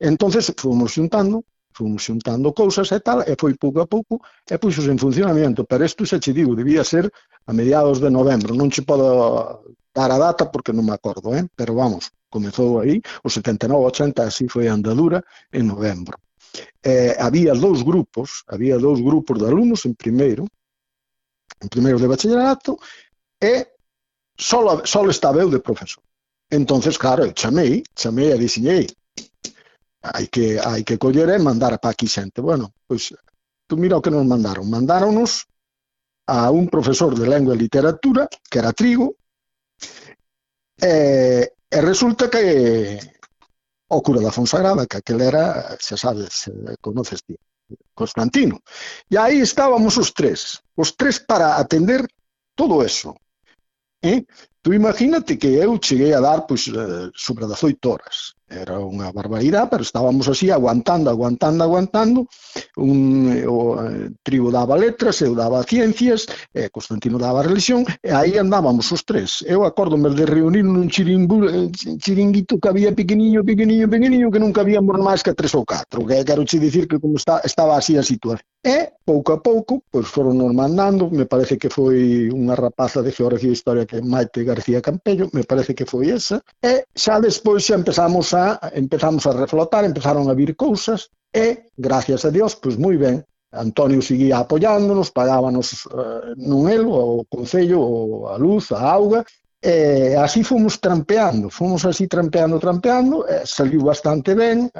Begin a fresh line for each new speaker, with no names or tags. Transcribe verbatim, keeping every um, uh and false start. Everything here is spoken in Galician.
Entonces fomos xuntando, fomos xuntando cousas e tal, e foi pouco a pouco, e puxos en funcionamento, pero isto xa che digo, debía ser a mediados de novembro, non che podo dar a data porque non me acordo, eh? Pero vamos, comezou aí, o setenta e nove ochenta, así foi a andadura en novembro. Eh, había dous grupos, había dous grupos de alumnos en primeiro, en primeiro de bachillerato, e só, só estaba eu de profesor. Entonces, claro, eu chamei, chamei e dixenei, hai que, hai que coller e mandar para aquí xente. Bueno, pois, tú mira o que nos mandaron. Mandáronos a un profesor de lengua e literatura, que era Trigo, e, e resulta que o cura da Fonsagrada, que aquel era, xa sabes, conoces ti, Constantino. E aí estábamos os tres, os tres para atender todo eso. Eh? Tú imagínate que eu cheguei a dar pois, sobre dezoito horas. Era unha barbaridade, pero estábamos así aguantando, aguantando, aguantando. Un, o eh, Trigo daba letras, eu daba ciencias, e Constantino daba religión, e aí andábamos os tres. Eu acórdome de reunir nun chiringuito que había pequeniño, pequeniño, pequeniño, que nunca habíamos máis que tres ou catro, que quero che dicir que como está, estaba así a situación. E, pouco a pouco, pois foron nos mandando, me parece que foi unha rapaza de Geografía e Historia que é Maite García Campello, me parece que foi esa, e xa despois xa empezamos a, empezamos a reflotar, empezaron a vir cousas, e, gracias a Dios, pois moi ben, Antonio seguía apoiándonos, pagábanos uh, non el, o Concello, o a luz, a auga, e así fomos trampeando, fomos así trampeando, trampeando, e saliu bastante ben,